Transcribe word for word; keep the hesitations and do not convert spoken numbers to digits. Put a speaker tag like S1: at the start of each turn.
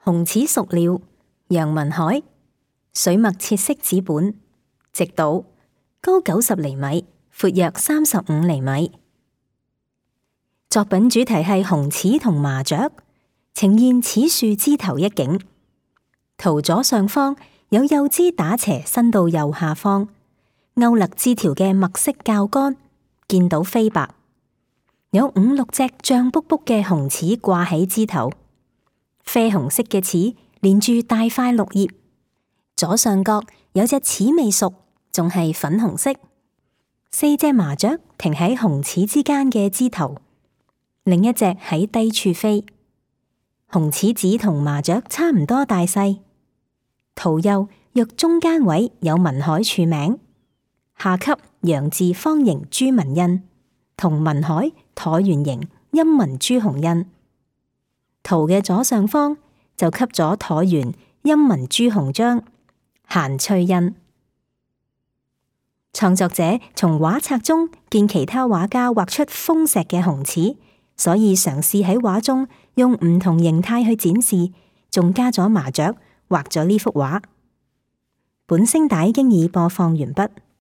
S1: 紅齒熟了，楊文海，水墨切色紙本，直倒，高九十厘米，闊約三十五厘米。作品主題係紅齒同麻雀，呈現齒樹枝頭一景。圖左上方有幼枝打斜伸到右下方，勾勒枝條嘅墨色較乾，見到飛白。有五六隻脹卜卜嘅紅齒掛喺枝頭。啡紅色嘅齒連住大塊綠葉，左上角有隻齒未熟，仲係粉紅色。四隻麻雀停喺紅齒之間嘅枝頭，另一隻喺低處飛。紅齒子同麻雀差唔多大細。圖右若中間位有文海署名，下級陽字方形朱文印，同文海橢圓形陰文朱紅印。圖嘅左上方就給咗橢圓陰文朱紅章，閒翠印。創作者從畫冊中見其他畫家畫出豐碩嘅紅齒，所以嘗試喺畫中用唔同形態去展示，仲加咗麻雀畫咗呢幅畫。本聲帶經已播放完畢。